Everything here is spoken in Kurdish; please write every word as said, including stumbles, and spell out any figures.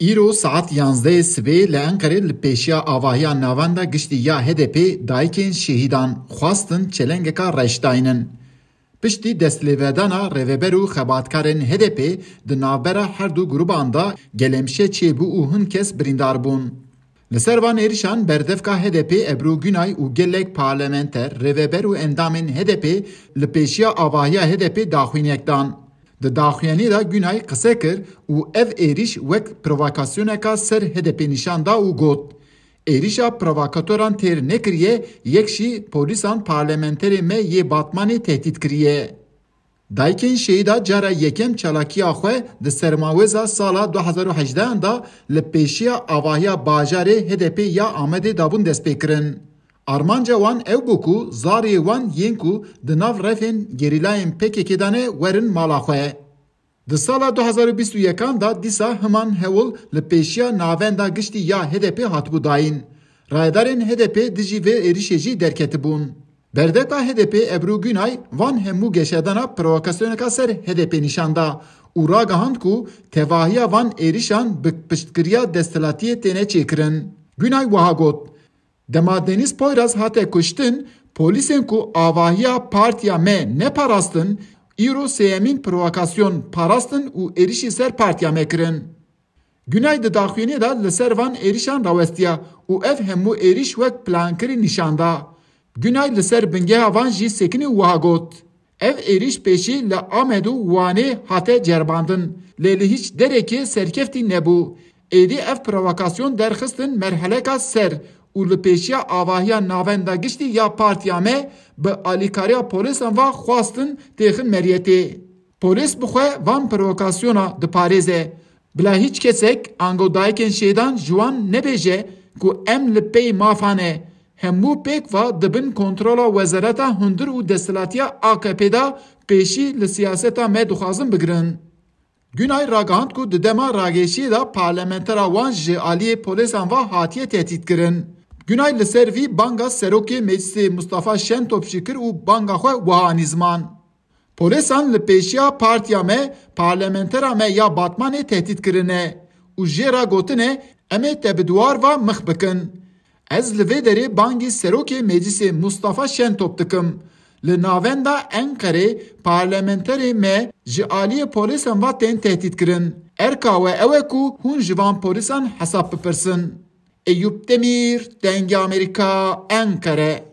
Îro saet yanzdehê sibê li Enqerê li pêşiya avahiya navenda giştî ya H D P dayikên şehîdan xwestin çelengeka reş daynin. Piştî destlêvedana rêveber û xebatkarên H D P di navbera her du grûban de gelemşe çêbû û hin kes birîndar bûn. Li ser van êrişan berdevka H D P Ebru Günay û gelek parlamenter, rêveber û endamên H D P li pêşiya avahiya H D P daxuyaniyek dan. Di daxuyaniyê de Günay qise kir û ev êrîş wek provokasyoneka ser H D P nîşan da û got, êrîşa provokatoran têr nekiriye, yek jî polîsan parlamenterê me yê Batmanê tehdît kiriye. Dayikên şehîda cara yekem çalakiya xwe di sermawêza sala du hezar û hejdehan de li pêşiya avahiya bajarê H D P ya Amedê dabûn destpêkirin. Armanca wan ew bû ku zariyê wan yên ku di nav refên gerîlayên P K K de ne werin mala xwe. Di sala du hezar û bîst û yekan de dîsa himan hewl li pêşiya navenda giştî ya H D P hatibû dayîn. Rayedarên H D P dijî vê êrişê jî derketibûn. Berdevka H D P Ebru Günay van hemû geşedana provokasyoneka ser H D P nîşan da û ragihand ku tevahiya van êrişan bi piştgiriya desthilatiyê têne çêkirin. Günay wiha got, Dema Deniz Poyraz hate kuştin, polîsên ku avahiya partiya me neparastin, îro sêyemîn provokasyon parastin û êrişî ser partiya me kirin. Günay di daxuyaniyê de li ser van êrişan rawestiya û ev hemû êriş wek plankirî nîşan da. Günay li ser bingeha van jî sekinî û wiha got, Ev êrîş pêşî li Amed û Wanê hate ceribandin, lê li hîç derekê serkeftî nebû. Êdî ev provokasyon derxistin merheleka ser û li pêşiya avahiya navenda giştî ya partiya me bi alîkariya polîsan ve xwestin têxin meriyetê. Polîs bi xwe van provokasyona diparêze. Bila hîç kesek ango dayikên şêdan ji wan nebêje ku em li pey mafa ne. Hemû pêk ve di bin kontrola Wezareta Hundir û Desthilatiya A K P de pêşî li siyaseta me dixwazin bigirin. Günay ragihand ku di dema rageşiyê de parlamentera wan ji aliyê polîsan ve hatiye tehdîtkirin. Günay li ser vî banga serokê meclisê Mustafa Şentop jî kir û banga xwe wiha anî ziman. Polîsan li pêşiya partiya me, parlamentera me ya Batmanê tehdît kirine û jê re gotine, em ê te bi dwar ve mix bikin. Ez li vê derê bangî serokê meclisê Mustafa Şentop dikim. Li navenda Enqerê parlamenterê me ji aliyê polîsan ve tên tehdît kirin. Erka we ew e ku hûn ji van polîsan hesab bipirsin. Eyûp Demîr, Dengê Amerîka, Enqere.